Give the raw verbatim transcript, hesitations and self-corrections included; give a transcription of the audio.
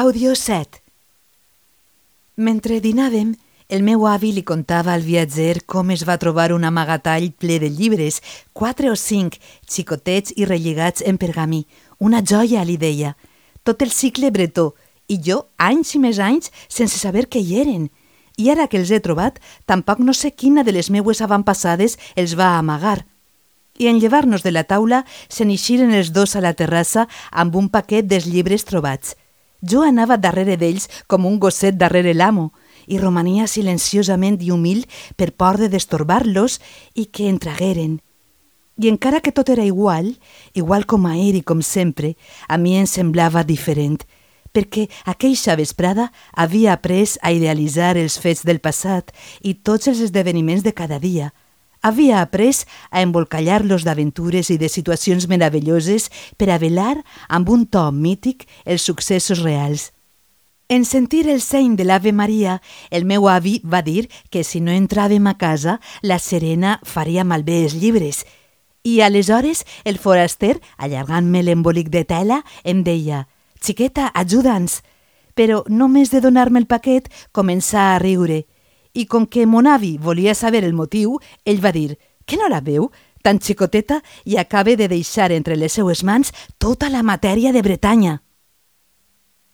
Àudio set. Mentre dinàvem, el meu avi li contava al viatger com es va trobar un amagatall ple de llibres, quatre o cinc, xicotets i relligats en pergamí. Una joia, li deia. Tot el cicle bretó, i jo anys i més anys sense saber què hi eren. I ara que els he trobat, tampoc no sé quina de les meues avantpassades els va amagar. I en llevar-nos de la taula se n'ixiren els dos a la terrassa amb un paquet dels llibres trobats. Jo anava darrere d'ells com un gosset darrere l'amo i romania silenciosament i humil per por de destorbar-los i que entragueren. I encara que tot era igual, igual com ahir i com sempre, a mi em semblava diferent, perquè aqueixa vesprada havia après a idealitzar els fets del passat i tots els esdeveniments de cada dia. Havia après a embolcallar-los d'aventures i de situacions meravelloses per a velar amb un to mític els successos reals. En sentir el seny de l'Ave Maria, el meu avi va dir que si no entràvem a casa, la Serena faria malbé els llibres. I aleshores el foraster, allargant-me l'embolic de tela, em deia «Xiqueta, ajuda'ns!» Però només de donar-me el paquet començà a riure. I com que mon avi volia saber el motiu, ell va dir «Que no la veu? Tan xicoteta i acaba de deixar entre les seues mans tota la matèria de Bretanya».